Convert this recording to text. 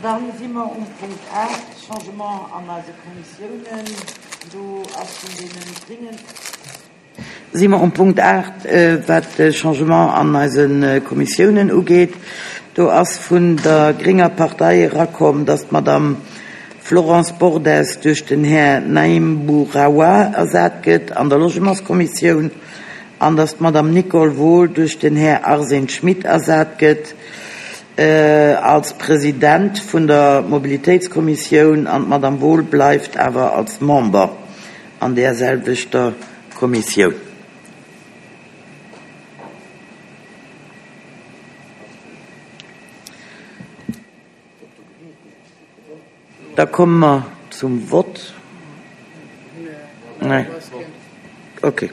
Da si mer um Punkt 8, Changement an eise Kommissiounen. Do ass vun deene Gringen. Si mer um Punkt 8, wat de Changement an eise Kommissiounen ugeet. Do ass vun der grénger Partei erakomm, dass d'Madame Florence Bordes duerch den Här Naïm Bouraoua ersat gëtt an der Logementskommissioun an dass d'Madame Nicole Wohl duerch den Här Arsène Schmit ersat gëtt als President vun der Mobilitéitskommissioun an d'Madame Wohl bleift awer als Member an där selwechter Kommissioun. Da komme mer zum Vott. Nee. Okay.